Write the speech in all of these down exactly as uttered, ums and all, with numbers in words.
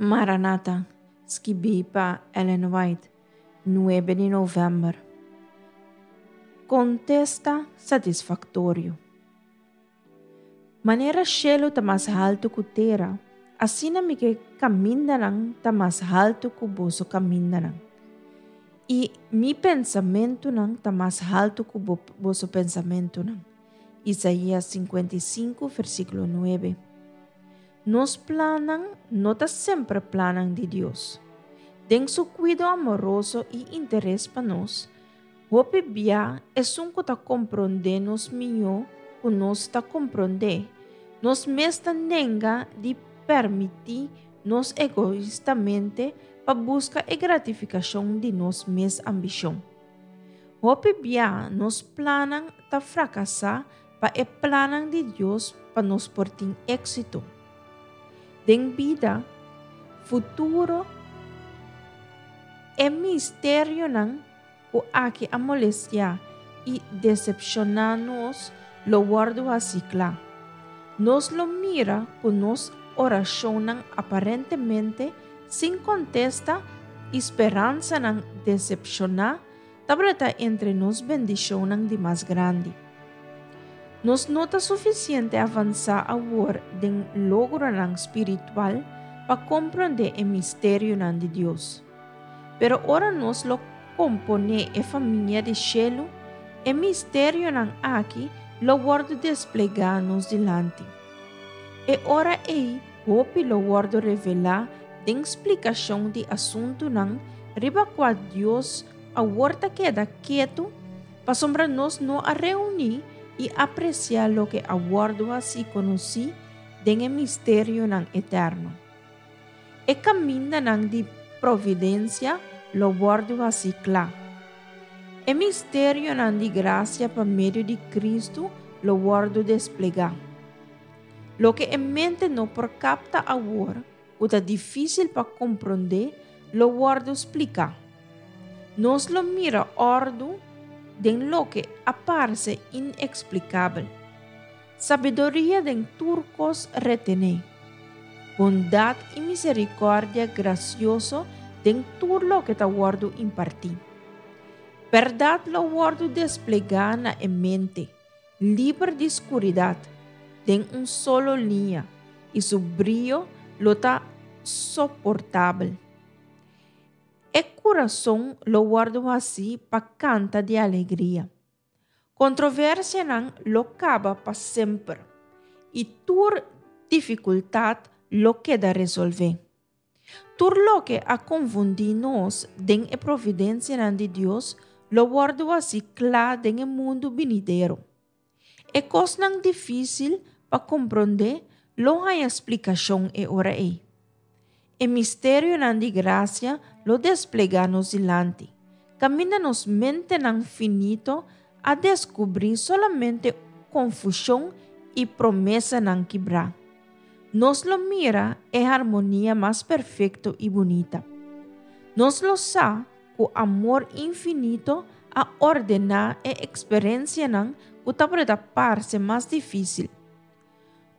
Maranata, skibí pa Ellen White, nuebe di novèmber. Kontesta satisfaktorio. Manera shelu ta mas haltu ku tera, asina mi kamindanan ta mas haltu ku boso kamindanan. I mi pensamentunan ta mas haltu ku boso pensamentunan. Isaías sinkuenta i sinku, versíkulo nuebe. Nos plannan no ta semper plannan di Dios. Den su kuido amoroso i interes pa nos, hopi bia esun ku ta komprondé nos mihó ku nos ta komprondé, nos mes ta nenga di permití nos egoistamente pa buska e gratifikashon di nos mes ambishon. Hopi bia nos plannan ta frakasá pa e plannan di Dios pa nos por tin éksito. Den bida, futuro, e misterionan ku aki a molestiá i desepshoná nos lo wòrdu hasí kla. Nos lo mira ku nos orashonnan aparentemente sin kontesta i speransanan desepshoná tabata entre nos bendishonnan di mas grandi. Nos no ta sufisiente avansá awor den logronan spiritual pa komprondé e misterionan di Dios. Pero ora nos lo komponé e famia di shelu, e misterionan aki lo wòrdu desplegá nos dilanti. E ora ei hopi lo wòrdu revelá den splikashon di asuntunan riba kua Dios awor ta keda ketu, pasobra nos no a reuní i apresiá loke a wòrdu hasí konosí den e misterionan eterno. E kamindanan di providensia lo wòrdu hasí kla. E misterionan di grasia pa medio di Kristu lo wòrdu desplegá. Loke e mente no por kapta awor, ku ta difísil pa komprondé, lo wòrdu spliká. Nos lo mira òrdu den loke a parse ineksplikabel. Sabiduria den tur kos retené. Bondat i miserikòrdia grasioso den tur loke ta wòrdu impartí. Bèrdat lo wòrdu desplegá na e mente, liber di skuridat, den un solo liña, i su brio lo ta soportabel. E kurason lo wòrdu hasí pa kanta di alegria. Kontroversianan lo kaba pa semper, i tur difikultat lo keda resolvé. Tur loke a konfundí nos den e providensianan di Dios lo wòrdu hasí kla den e mundu binidero. E kosnan difísil pa komprondé lo haña splikashon e ora ei. E misterionan di grasia lo desplegá nos dilanti, kaminda nos mentenan finito a deskubrí solamente konfushon i promesanan kibrá. Nos lo mira e harmonia mas perfekto i bunita. Nos lo sa ku amor infinito a ordená e eksperensianan ku tabata parse mas difísil.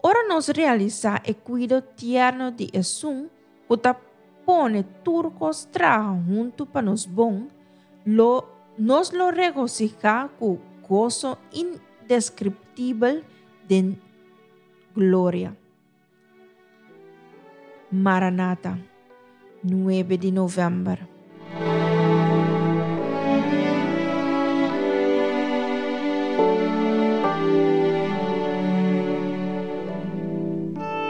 Ora nos realisá e kuido tierno di Esun ku ta pone tur kos traha huntu pa nos bon, lo, nos lo regosihá ku goso indeskriptibel den gloria. Maranata, nuebe di novèmber.